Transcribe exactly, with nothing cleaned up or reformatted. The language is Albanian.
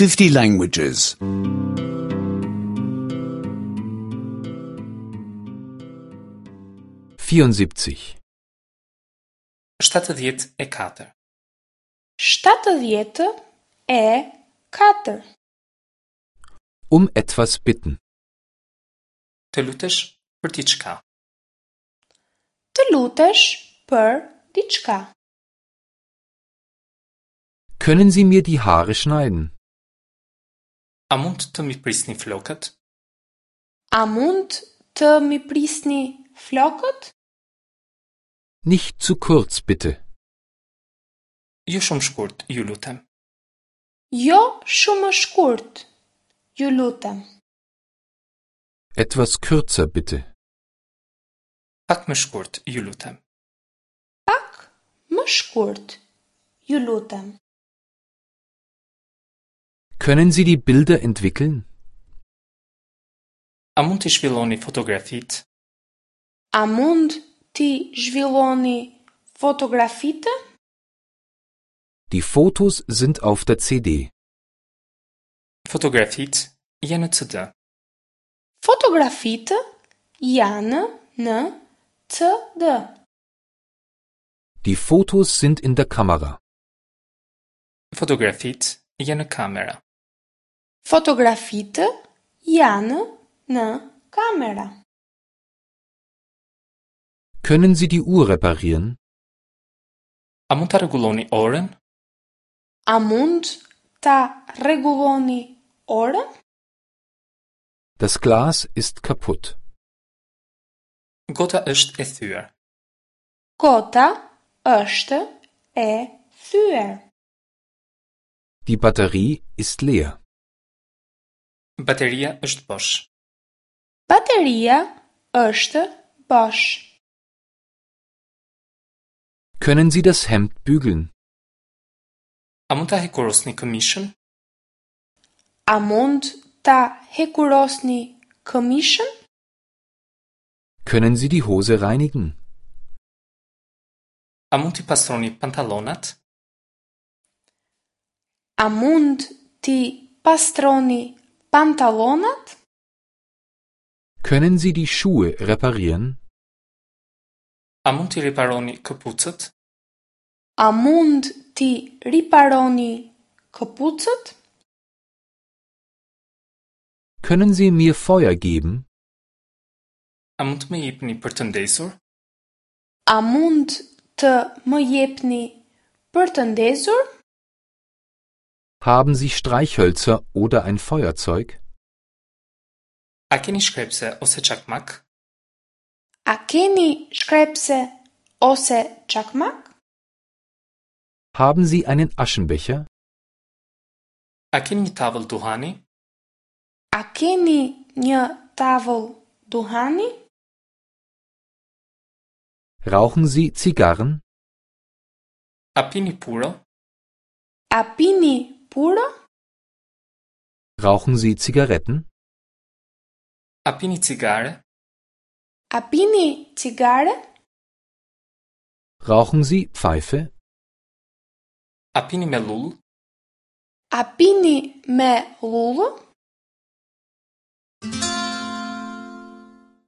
fifty languages. vierundsiebzig. Shtatëdhjetë e katër. Shtatëdhjetë e katër. Um etwas bitten. Të lutesh për diçka. Të lutesh për diçka. Können Sie mir die Haare schneiden? A mund të mi prisni flokët? A mund të mi prisni flokët? Nicht zu kurz, bitte. Jo shumë shkurt, ju lutem. Jo shumë shkurt, ju lutem. Etwas kürzer, bitte. Pak më shkurt, ju lutem. Pak më shkurt, ju lutem. Können Sie die Bilder entwickeln? A mund t'i zhvilloni fotografitë? A mund t'i zhvilloni fotografitë? Die Fotos sind auf der C D. Fotografitë janë në C D. Fotografitë janë në C D. Die Fotos sind in der Kamera. Fotografitë janë në kamera. Fotografitë janë në kamera. Können Sie die Uhr reparieren? A mund ta rregulloni orën? A mund ta rregulloni orën? Das Glas ist kaputt. Gota është e thyer. Gota është e thyer. Die Batterie ist leer. Bateria është bosh. Bateria është bosh. Können Sie das Hemd bügeln? A mund ta hekurosni këmishën? A mund ta hekurosni këmishën? Können Sie die Hose reinigen? A mund t'i pastroni pantallonat? A mund t'i pastroni pantallonat? Können Sie die Schuhe reparieren? A mund t'i riparoni këpucët? A mund t'i riparoni këpucët? Können Sie mir Feuer geben? A mund të më jepni për të ndezur? A mund të më jepni për të ndezur? Haben Sie Streichhölzer oder ein Feuerzeug? A keni shkrepse ose çakmak? A keni shkrepse ose çakmak? Haben Sie einen Aschenbecher? A keni një tavëll duhani? A keni një tavëll duhani? Rauchen Sie Zigarren? A pini puro? A pini puro? Rauchen Sie Zigaretten? A pini cigare? A pini cigare? Rauchen Sie Pfeife? A pini me llullë? A pini me llullë?